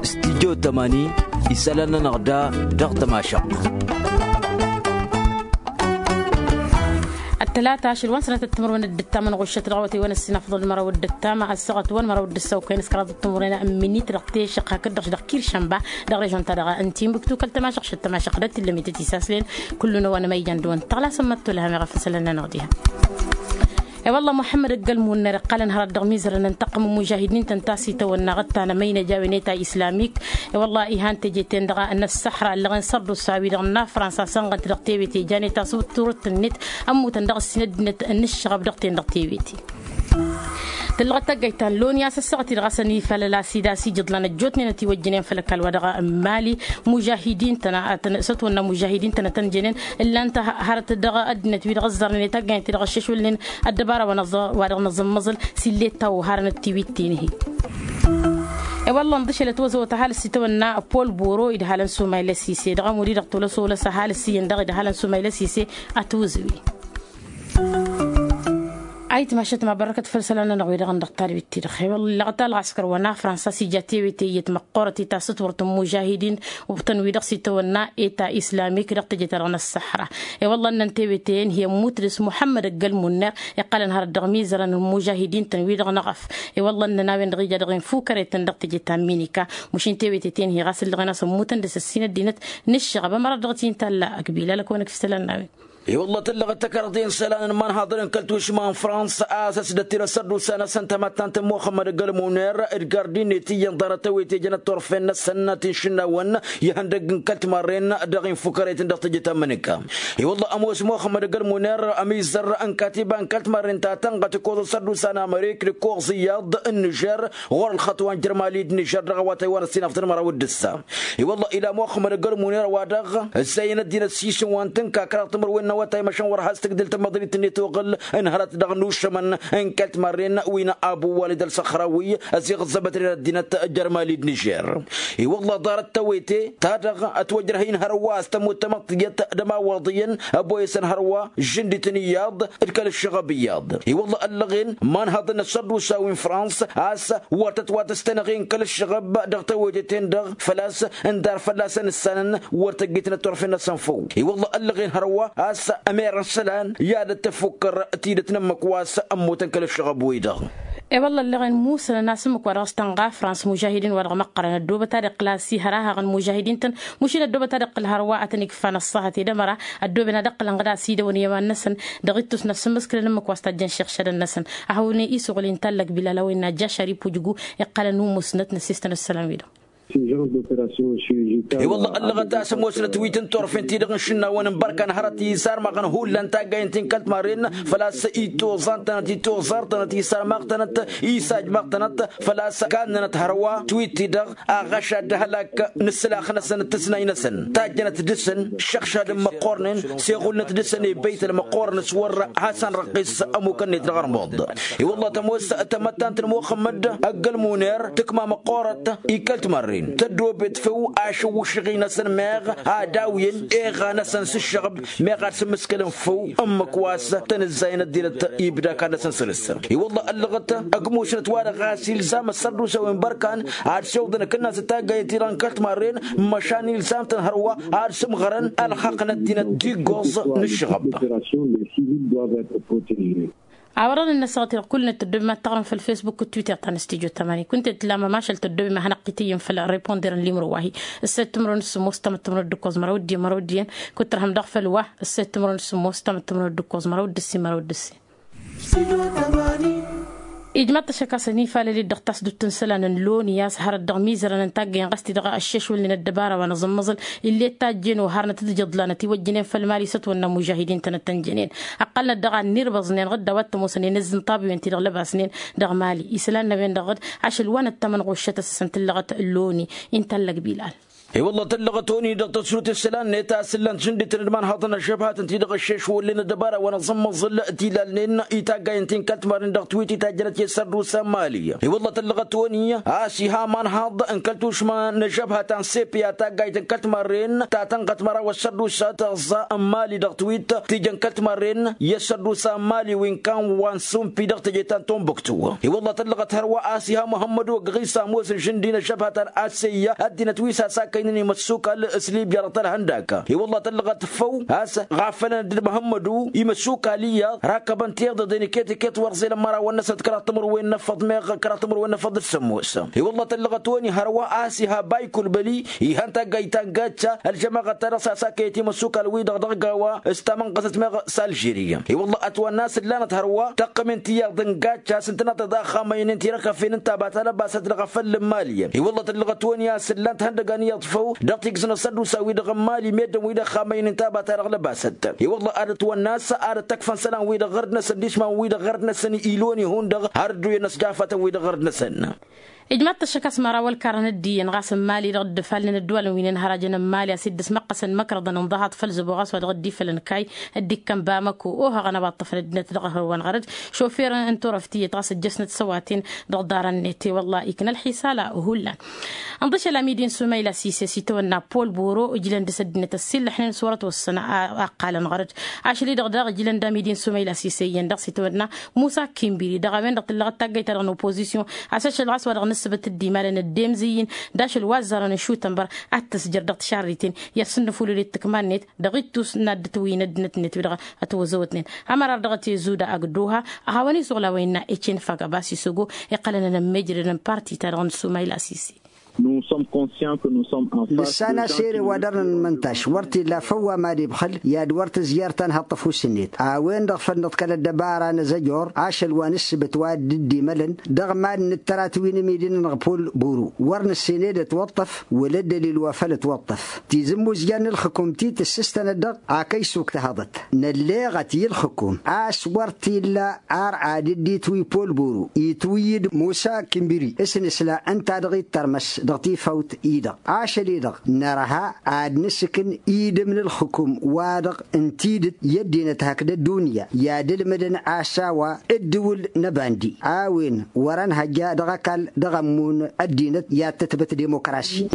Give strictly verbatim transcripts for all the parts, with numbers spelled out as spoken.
Studyo tămani isălan-nănăɣ da dăɣ-tămašăɣt. Ăttălata ašăl wa n-sănatăt timǝrwen d-ǝttam ănɣuššăt dăɣ-awătay wa n-ăssinafăḍ d-măraw d-ǝttam ăssaɣăt wa n-măraw d-ǝssăwkăyăn s-kăraḍ d-timǝrwen minit dăɣ-tešiɣt hakd-dăɣ-š dăɣ-kiršănba dăɣ-režon-ta-dăɣ n-tinbuktu kăl-tămašăɣt šăt tămašăɣt dăɣ-t illa mităt-isaslen. Kullu n-ăwanămăyjan d-wăn tăɣlasăn măttolăhăm iɣăf n-sălăn-nănăɣ diha. E-wălla muḥămmăd ăgg-ălmunner iqqalăn hărăt dăɣ-mizărăn n-taqqǝm n-mužahidin-tăn ta s-itawănna ɣǝttan ămăynăj a-wen eta islamik. E-wălla ihan teje-ten-dăɣ n-ăssăxra ăllăɣen sărdusa-wi-dăɣ n-afrănsa sănɣăn-t dăɣ-tewete jan eta s-turǝt-net ămmutăn dăɣ-ǝssin ăddinăt n-ǝššăɣăb dăɣ-ten-dăɣ tewete. Tǝllăɣăt taggayt ta n-loni a-s ăssaɣăt-i-dăɣ a-s ănifalăl a-s id'-as ijǝḍlan ăjjootnen ătiwăjjǝnen făll-ăkall wa dăɣ-mali. Mužahidin-tăn a tăn-sătwănna mužahidin-tăn a tăn-jănen ǝllan-t hărăt dăɣ-ăddinăt-wi-dăɣ ăzzarnen i-taggaynen-ti-dăɣ ăššešwălnen ăddăbara wa dăɣ-năẓǝmmăẓǝl s-illet ta oharăn d-tiwit-ten-hi. E-wălla ǝnḍǝšălăt wăzăwăt ăhalǝs itawănna pol boro idhalăn sumayla sise dăɣ-ămud-i-dăɣ tolăs olăs ăhalǝs iyyăn dăɣ-idhalăn sumayla sise. Ătwǝzǝwi. Ayǝtmašăt ma bărrăkăt făll-isălan-nănăɣ-wi-dăɣ n-dăɣ-talbit-ti-dăɣ i-wălla ălɣăskăr wa n-afrănsa s-ija tewete iyyăt măqqoorăt i-tasǝtwărt n-mužahidin. Ubtăn-wi-dăɣ s-itawănna eta islamik dăɣ-teje-ta-dăɣ n-ăṣṣăxra. I-wălla ǝnnăn tewete-en hi-ămmut dăɣ-s muḥămmăd ăgg-ălmunner iqqălăn hărăt dăɣ-imizărăn n-imužahidin-tăn wi-dăɣ n-eɣăf. I-wălla ǝnnăn a-wen-dăɣ ija dăɣ-infukăre-tăn dăɣ-teje ta n-minika. Mušin tewete-ten hi ɣas ǝllăɣen a-s ămmutăn dăɣ-s ăssin ăddinăt n-ǝššăɣăb ămărat dăɣ-t intalla ăgbilal ăkăwăn-ăkf isălan n-a-wen. I-wălla tǝllăɣăt tăkarḍe n-isălan n-imanhaḍăn n-kăl-tušma n-fransa a-s ăsdăt-dd ăssărdusa-năsăn tamăttant n-muxămmăd ăgg-ălmuner d-gardi-net iyyăn ḍarăt tewete jănăt turfen-năsăn ti n-išǝnnawăn ihăndăgg n-kăl-timarren dăɣ-infukăret n-dăɣ-teje ta n-imǝnǝka. I-wălla ămoos muxămmăd ăgg-ălmuner ămizăr n-katiba n-kăl-timarren ta tănɣăt ǝkkoẓ ăssărdusa n-amărik d-ǝkkoẓ iyyăḍ n-nižer ɣur-ălxăṭṭ wa n-jărmalid n-nižer dăɣ-awătay wa n-ăssinafăḍ n-măraw d-ǝssa. I-wălla ila muxămmăd ăgg-ălmuner wa-dăɣ ǝzzayăn ăddinăt s-isǝnwa n-tǝnka kăraḍ timǝrwen n-awătay măšan wăr has-tǝgdǝl tamăḍrit-net oɣǝl n-hărăt dăɣ-nušămăn n-kăl-timarren wi n-abu walid ălsăxrawi ăziɣ ăẓẓăbătnen ăddinăt jărmali d-nižer. I-wălla ḍarăt tewete ta dăɣ-ătwăjrăh-in hărwa a-s tămut tamăḍt tiyyăt d-ămawaḍ iyyăn ăboyăsăn hărwa žǝndităn iyyăḍ d-kăl-ǝššăɣăb iyyăḍ. I-wălla ăllăɣen imanhăḍăn n-ăssărdusa wi n-frans a-s wăr tătwatăstănăɣ-in kăl-ǝššăɣăb dăɣ-tewete-ten-dăɣ făl-a-s ǝndar fălla-săn ǝssanăn wăr tăgg-itnăt turfen-năsăn făw. I-wălla ăllăɣen hărwa a-s ămerăn isălan i-ad-ăttăfukkăr tidǝt n-ǝmmǝk wa s-a ămmutăn kăl-ǝššăɣăb-wi-dăɣ. I-wălla ăllăɣen musănăn a-s ǝmmǝk wa dăɣ-s tănɣa frans mužahidin wa dăɣ-măqqărăn ăddoobăt ad-iqqǝl a-s ihăr ahăɣ n-mužahidin-tăn. Mušin ăddoobăt ad-iqqǝl hărwa ad-tăn-ikfa n-ăṣṣahăt i-dămăra ăddooben ad-ǝqqǝlăn ɣǝd a-s idăwăn i-iman-năsăn. Dăɣ-ittus n-asǝmmǝskǝlăn ǝmmǝk wa s-tajjăn šiɣšadăn-năsăn. Ahăwăn i-suɣǝl inta ăllăg bilal a-wa innă jjašar ipujǝgu iqqălăn umusnăt n-ăssistăn ăssălan-wi-dăɣ. I-wălla ăllăɣăt a-s ămoosnăt wi t-in-turfen-ti-dăɣ n-išǝnnawăn n-bărkan hărăt isarmăɣăn hullan taggayen-ti n-kăl-timarren făl-a-s itoẓan-tănăt itoẓar-tănăt isarmăɣ-tănăt isajmăɣ-tănăt făl-a-s kannănăt hărwa twitti-dăɣ aɣăšad d-ahălak n-ǝssǝlax-năsăn d-tǝsnay-năsăn tajjănăt dăr-săn šăɣšadăn măqqornen s-eɣulnăt dăr-săn i-băytăl măqqorăn s-wăr has-ănrăqqis ămukăn-net dăɣ-armuḍ. I-wălla tămoos tamăttant n-muxămmăd ăgg-ălmuner tǝkma măqqorăt i-kăl-timarren tăddoobet făw ašǝwwǝšăɣ-i-năsăn meɣ ad-awǝyăn eɣa-năsăn s-ǝššăɣăb meɣ ad-sǝmmǝskălăn făw ǝmmǝk wa s-tăn-ǝzzayăn ăddinăt ibda akad-năsăn săr-s. I-wălla ăllăɣăt ăgg musnăt-wa-dăɣ a-s ilzam ăssărdusa wi n-bărkan ad-siwǝḍăn akǝnnas d-taggayen-ti-dăɣ n-kăl-timarren măšan ilzam-tăn hărwa ad-sǝmɣărăn ălxaqq n-ăddinăt d-iggoẓ n-ǝššăɣăb. A-wa dăɣ-nǝnnăsăɣăt-i-dăɣ kull-net tăddobem ad-taɣrǝm făll-fesbuk d-twitter ta n-studyo tămani kunta i-tǝllam ămašal tăddobem a hanăɣ-tităyyǝn făll-reponder n-limro wa-hi. Ǝssed timǝrwen d-sǝmmos tamǝttǝmrăwăt d-ǝkkoẓ măraw d-dd-i măraw d-iyyăn. Kut-tărhăm daɣ făll-wa ǝssed timǝrwen d-sǝmmos tamǝttǝmrăwăt d-ǝkkoẓ măraw d-ǝssin măraw d-ǝssin. Ijmaḍ-t ăššăk a-s ănifalăl-dd dăɣ-tasdut n-isălan n-loni a-s hărăt dăɣ-mizărăn n-taggăyăn ɣas-t-i-dăɣ ăššešwălnen ăddăbara wa n-aẓǝmmăẓǝl. Ill'-e d tajjen oharnăt d-ijǝḍlanăt iwăjjănen făll-mali s-ătwănna mužahidin-tăn ad-tăn-jănen. Ăqqălnăt daɣ a ǝnnirbaẓnen ɣǝdda wa t-ămoosăn i-inǝzzǝnṭabiwen-ti-dăɣ lăbasnen dăɣ-mali isălan n-a-wen-dăɣ ɣǝd ašăl wa n-ăttămănɣuššăt a-s ǝssǝn tǝllăɣăt loni. Inta ăllăg bilal. I-wălla tăllăɣăt-oni dăɣ-tăsrut isălan-net a-s ǝllan-t žǝndităn d-imanhaḍăn ăžžăbhatăn-ti-dăɣ ăššeš wăllen ăddăbara wa n-aẓǝmmăẓǝl, tilal-nen itaggayăn ti n-kăl-timarren dăɣ-twitter tajjănăt i-sărdusa n-mali. I-wălla tăllăɣăt-oni a-s iha imanhaḍ n-kăl-tušma n-ažžăbhat ta n-sepe a taggayt n-kăl-timarren ta tănɣăt măraw ăssărdusa tăẓẓa n-mali dăɣ-twitter tijăn kăl-timarren i-ăssărdusa n-mali wi n-kan wa n-sumpi dăɣ-teje ta n-tombuktu. I-wălla tăllăɣăt hărwa a-s iha muhămmăd ogăɣisa ămoos n-žǝndi n-ažžăbhat ta n-aseyya ăddinăt wi s-asakăynen imăssukal s-libya dăɣ-tălhăndaka. I-wălla tăllăɣăt făw a-s ɣafălăn dd-muhămmădu imăssukal iyyăḍ rakkăbăn tiɣdăḍen iket-iket wăr ẓelăn mărawăn-năsăn d-kăraḍ timǝrwen n-efăḍ meɣ kăraḍ timǝrwen n-efăḍ d-sămmos. I-wălla tăllăɣăt-oni hărwa a-s iha baykulbăli ihan taggayt ta n-gacca ălžămaɣăt-ta-dăɣ s-asakăyăt imăssukal-wi-dăɣ dăɣ-gawa s-tamănɣăsăt meɣ s-alžeriya. I-wălla ătwănna a-s ǝllanăt hărwa tăqqămen tiyyăḍ n-gacca a-s ǝntănăt ad-axamăynen tirăkăfen n-tabat alăbasăt dăɣ-afăl n-mali. I-wălla tăllăɣăt-oni a-s ǝllan-t ihăndăgan iyyăḍ făw dăɣ-tigǝz n-asăddusa-wi-dăɣ n-mali meddǝn-wi-dăɣ xamăynen tabat a dăɣ-lăbasăt. I-wălla ad-ătwănna a-s ad-ăttăkfăn isălan-wi-dăɣ ɣărd-năsăn d-išman-wi-dăɣ ɣărd-năsăn ilon ihun-dăɣ har dd-uyyăn asjafătăn-wi-dăɣ ɣărd-năsăn. Ijmaḍ-t ăššăk a-s măraw ălkarăn dd-iyyăn ɣas n-mali dăɣ-dd-ǝfalnen ăddualăn wi n-inhărajăn n-mali a-s dd-ăsmăqqăsăn măkrăḍăn ǝnḍăhaḍ făll-zăbo ɣas wa dăɣ-dd-ifălăn kayy dd-ikkăn bamăko ohăɣăn a-wa ǝṭṭăfăn ăddinăt dăɣ-ehăwăn ɣărăd šofer n-turăft iyyăt ɣas ăjjăsnăt s-ăwaten dăɣ-ḍarăn-net i-wălla-i ikna ălxisala hullan. Ǝnḍǝšăl amidi n-sumayla sise s-itawănna pol boro ǝjlăn dăɣ-s ăddinăt ăssiillăḥnen s-wăr-ătwăssăn a ăqqalăn ɣărăd. Ašăl-i-dăɣ daɣ ǝjlăn d-amidi n-sumayla sise iyyăn dăɣ-s itawănna musa kimbiri dăɣ-a-wen-dăɣ tǝllăɣăt taggayt-ta-dăɣ n-opozisyon a-s ašăl ɣas wa dăɣ-nǝssǝbǝt dd-imalăn ăddemzǝyy-in d-ašăl wa ăzzarăn n-šutănbăr ad-t-ǝzjăr dăɣ-tišarriten i-ad-sǝnnǝfulǝl i-tǝkma-net dăɣ-ittus n-ad-dd-tǝwǝyǝn ăddinăt-net wi-dăɣ ătwăzăwătnen. Ămărar dăɣ-tezuda ăgg-dd-oha a hawăn-isuɣǝl a-wa innă ecen fagăba s-isogo iqqălăn ănămmejrădăn parti-ta-dăɣ n-sumayla sise. Nous sommes conscients que nous sommes en face. Nǝssan a-s ere wa dăr-nǝnmăntaš wăr t-illa făw wa mad-ibxǝl i-ad-wăr tǝzjăr tanhăḍt ăfuss-net a-wen-dăɣ făl nǝḍkăl ăddăbara n-azăjor ašăl wa n-ǝssǝbǝt wa dd-imălăn dăɣ-mad-nǝttărat wi n-imidǝn-nănăɣ pol buru wăr nǝssen ed ătwăṭṭăf wăla ăddălil wa făl ătwăṭṭăf. Tizǝmmuzjan n-ălxǝkum ti tǝssǝstănăt dăɣ-ak ăysuk tăhăḍăt nălleɣăt i-ǝlxǝkum a-s wăr t-illa ar ad-dd-itwǝy pol buru itwǝy-dd musa kimbiri s-nǝsla ǝnta-dăɣ ittărmăs dăɣ-tifawt-i-dăɣ ašăl-i-dăɣ nărha ad-nǝsǝkǝn idǝm n-ǝlxǝkum wa-dăɣ n-tidǝt i-ăddinăt hakd ăddunya i-ad-ǝlmǝdăn a-s a-wa ǝddǝwǝl n-ăbandi a-wen wăr-ănhăjja dăɣ-ăkall dăɣ-ămmun ăddinăt i-ad-tǝtbǝt dimokrasi.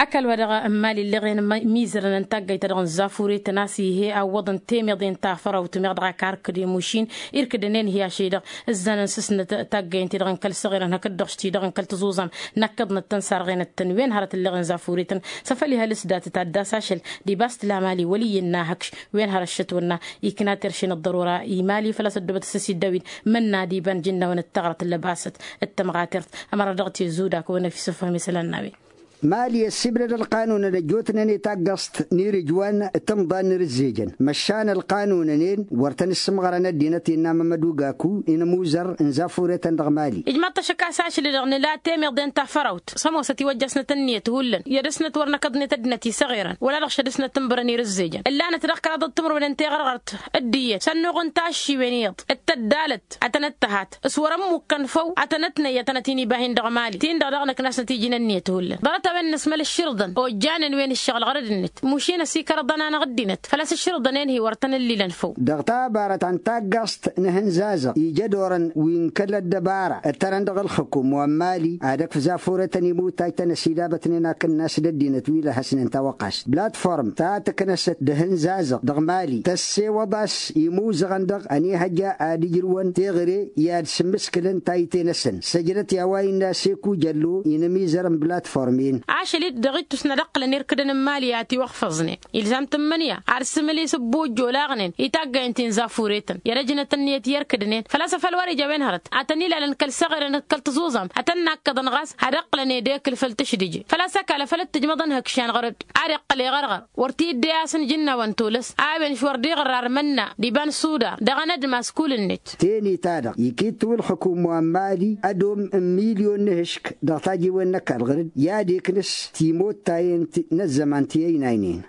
Ăkall wa dăɣ-n mali ǝlleɣen mizărăn n-taggayt-ta-dăɣ n-zafuretăn a-s ih'-e awwăḍăn temeḍe n-tafărawt meɣ dăɣ-ak arkǝd i-mušin irkǝdăn-en hi-ašăl-i-dăɣ ǝzzanăn s-ǝsnăt taggayt-ti-dăɣ n-kăl-săɣirăn hakd-dăɣ ti-dăɣ n-kăl-tăẓuẓam nakkăḍnăt-tăn sarɣenăt-tăn wen hărăt ǝlleɣen zafuretăn s-afăl ihăl s-datăt ad-dd-as ašăl d-ibas tǝla mali wăl' iyyăn n-ahăkš wen hărăt šătwănna ikna terše n-ăḍḍărora i-mali făl-a-s ăddobăt s-ăsiddaw-in mănna d-iba n-ijǝnnawăn d-taɣrăt n-lăbasăt d-tămɣatert. Ămăra dăɣ-tezzuda kăwăn-ăfisăfhăm isălan n-a-wen. Mali ăssibnăd ălqanunăn ăjjootnen i-taggăẓt n-irǝjwan d-timḍan n-irǝzzejăn măšan ălqanunăn-en wăr tăn-ǝssǝmɣărăn ăddinăt innă mămădugaku inǝmuzăr n-zafuretăn dăɣ-mali. Ijmaḍ-t ăššăk a-s ašăl-i-dăɣ nǝla temeḍe n-tafărawt s-ămoosăt iwăjja-snăt ǝnniyăt hullan i-ad-dăr-snăt wăr năkăḍnet ăddinăt isăɣerăn wăla dăɣ-šăd-snăt ǝnbărăn irǝzzejăn ǝllanăt dăɣ-kăraḍăt timǝrwen n-teɣărɣărt d-iyyăt s-ănnuɣ n-taššiwen iyyăḍ d-tăddalăt ad-tănăt-tăhat s-wăr-ămmukkăn făw ad-tănăt-năyy ad-tănăt-in-ibahin dăɣ-mali-tin-dăɣ daɣ năknasnăt iji n-ǝnniyăt hullan ḍarăt a-wen nǝsmăl ǝššǝrǝḍăn ojjanen wen ǝššăɣǝl ɣărăd-net mušin ăsikărăḍăn-anăɣ ăddinăt făl-a-s ǝššǝrǝḍăn-en-hi wăr tăn-ǝllilăn făw. Dăɣ-tabarăt ta n-taggăẓt n-ehăn zazăɣ ija ed orăn wi n-kăl-ăddăbara ǝttărăn dăɣ-ǝlxǝkum wa n-mali ad-ăkf zafuretăn imutaj-tăn ăsidabătnen akǝnnas d-ăddinăt wi lăhăsnen tawăqqast platform ta tǝknăsăt d-ehăn zazăɣ dăɣ-mali tăssewăḍ a-s imuzăɣăn-dăɣ ănihăjja ad-ǝjrǝwăn teɣăre i-ad-sǝmmǝskǝlăn tayǝte-năsăn săjdăt i-a-wa innă seku jăllo inǝmizăr n-platform-en. Ašăl-i-dd dăɣ-ittus n-ad-ǝqqǝlăn irkǝdăn n-mali a tiwăxfăẓnen ilzam tǝmmǝnǝya ar sǝmǝl-i s-ǝbbujj olaɣnen i-taggayăn ti n-zafuretăn i-ad-ăjnăt ǝnniyăt i-irkǝdnen făl-a-s afăl wăr-ija a-wen hărăt ad-tăn-ilalăn kăl-săɣirăn d-kăl-tăẓuẓam ad-tăn-nakkăḍăn ɣas ad-ǝqqǝlăn edekǝl făll-tǝšdǝje făl-a-s ăkall afăl dd-tǝjmăḍăn ihăkšan ɣărăd ad-iqqăl i-ɣărɣăr wăr t-idde a-s n-ijǝnnawăn tolăs a-wen šwăr d-iɣărrar mănna d-iba n-suda dăɣ-anădmas kull-net. Teni-ta-dăɣ ikittu ǝlxǝkum wa n-mali ădom n-milyon n-ehǝšk dăɣ-tajiwen n-ăkall ɣǝr-dd i-ad-iknǝs timottayen n-ăzzăman ti ăynaynen.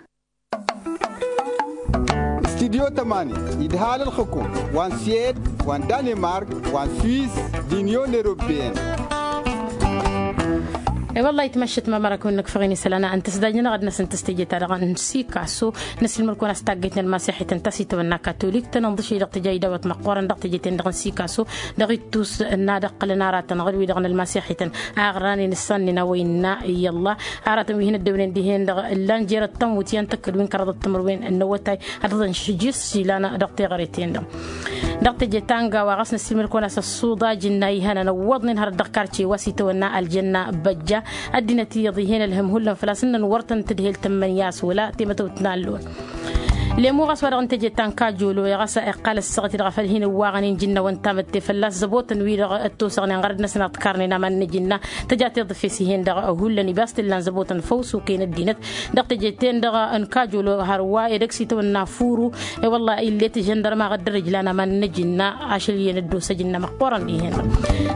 Studyo tămani idhal ǝlxǝkum wa n-suwed wa n-danimark wa n-swiss d-inyon europeyăn. I-wălla itmăššăt ma mărakăwăn n-ăkfăɣ-in isălan a ǝnta s-dajnănăɣ ad-năsăn tăstejeta dăɣ-n sikaso. Năsilmăr-kăwăn a-s taggăytnen ălmasixităn ta s-itwănna katolik tănănḍǝšăy dăɣ-tǝja idawăt măqqoorăn dăɣ-tejăyten-dăɣ n-sikaso. Dăɣ-ittus n-ad-ăqqălăn aratăn ɣǝr-wi-dăɣ n-ălmasixităn aɣrănen ǝssannen a-wa innă i-ălla aratăn wi hin-ăddewnen dihen-dăɣ ǝllan jer-ăttămut i-ăntăkkăd wi n-kăraḍăt timǝrwen n-awătay ad-dăɣ-dăn šǝjǝs ilan dăɣ-teɣăre-ten-dăɣ. Dăɣ-teje ta n-gawa ɣas năssiilmăd-kăwăn a-s ăṣṣuḍaj ǝnna ihănăn ăwwăḍnen hărăt dăɣ-karce wa s-itawănna ăljanna băjja. Ăddinăt iyyăḍ ih'-en ălhǝm hullan făl-a-s ǝnnăn wăr tăn-tǝdhel tămmănǝya a-s wăla temătăwt n-allăwăn. Lemo ɣas wa dăɣ-n teje ta n-kajolo i-ɣas iqqal ăssaɣăt-i-dăɣ a făl hin-ǝwwaɣăn injǝnnawăn tamătte fălla-s zăbotăn wi-dăɣ ăttosăɣnen ɣărăd-năsăn a ǝḍkarnen aman n-ajǝnna. Tăja tiḍǝf-e s-ih'-en-dăɣ hullan ibas t-illan zăbotăn făw s-okăyăn ăddinăt. Dăɣ-teje-ten-dăɣ n-kajolo hărwa edăgg s-itawănna furu. I-wălla ill'-e tǝžăndărmaɣ dd-ărǝjlan aman n-ajǝnna ašăl iyyăn ăddos ajǝnna măqqoorăn dihen-dăɣ.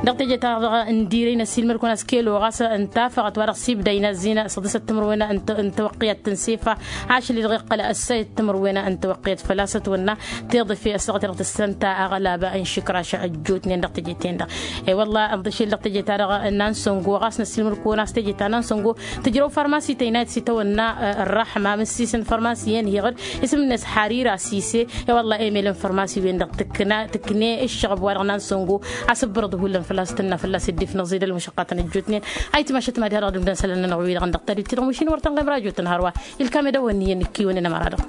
Dăɣ-teje-ta-dăɣ n-dirăy năssiilmăd-kăwăn a-s kelo ɣas ǝnta afăɣăt wa dăɣ-s ibda inăzzin săḍisăt timǝrwen n-tawăqqiyăt tǝnsefa. Ašăl-i-dăɣ iqqăl ăssayăt timǝrwen n-tawăqqiyăt făl-a-s ătwănna tiḍǝf-e ăssaɣăt-i-dăɣ tǝssănta aɣălaba n-išǝkraš ăjjootnen dăɣ-teje-ten-dăɣ. I-wălla ǝnḍǝšel dăɣ-teje-ta-dăɣ n-ansăngo ɣas năssiilmăd-kăwăn a-s teje ta n-ansăngo tǝjrăw farmasi tăynayăt s-itawănna. Ărrăḥma mǝssiis n-farmasi-en hiɣǝd isǝm-net harira sise. I-wălla emel n-farmasi-wen-dăɣ tǝkna tǝkne ǝššăɣăb wa dăɣ-nansăngo. Asǝbbărăḍ hullan fălla-s tǝnna fălla-s dd-ifnăẓ i-dăl mušăqqatăn ăjjootnen. Ayǝtmašăt mad-iha dăɣ-dămdăn isălan-nănăɣ wi-dăɣ n-dăɣ-tadit-i-dăɣ mušin wăr tănɣem rajo-tăn hărwa. Ilkam edăwăn iyyăn ǝkkiwăn inămăra-dăɣ.